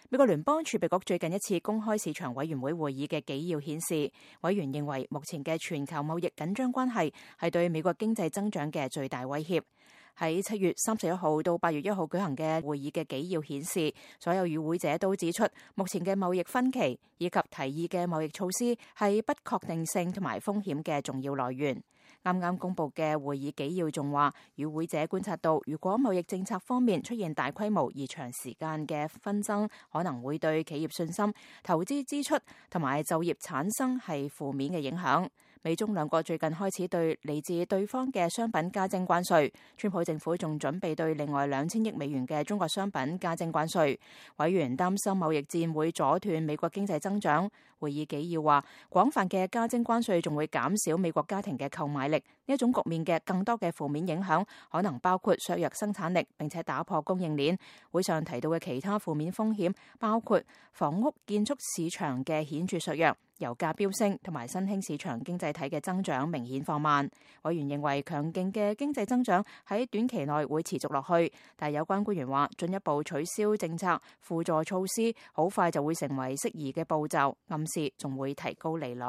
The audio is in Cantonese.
美國聯邦儲備局最近一次公開市場委員會會議嘅紀要顯示，委員認為目前嘅全球貿易緊張關係係對美國經濟增長嘅最大威脅。喺7月31號到8月1號舉行嘅會議嘅紀要顯示，所有與會者都指出，目前嘅貿易分歧以及提議嘅貿易措施係不確定性同埋風險嘅重要來源。啱啱公布嘅會議紀要仲話，與會者觀察到，如果貿易政策方面出現大規模而長時間嘅紛爭，可能會對企業信心、投資支出同埋就業產生係負面嘅影響。美中兩國最近開始對嚟自對方嘅商品加徵關稅，川普政府仲準備對另外2000億美元嘅中國商品加徵關稅。委員擔心貿易戰會阻斷美國經濟增長。會議紀要話，廣泛嘅加徵關稅仲會減少美國家庭嘅購買力。呢一種局面嘅更多嘅負面影響可能包括削弱生產力，並且打破供應鏈。會上提到嘅其他負面風險包括房屋建築市場嘅顯著削弱、油價飆升同埋新興市場經濟體嘅增長明顯放慢。委員認為強勁嘅經濟增長喺短期內會持續落去，但有關官員話，進一步取消政策輔助措施好快就會成為適宜嘅步驟，暗示仲會提高利率。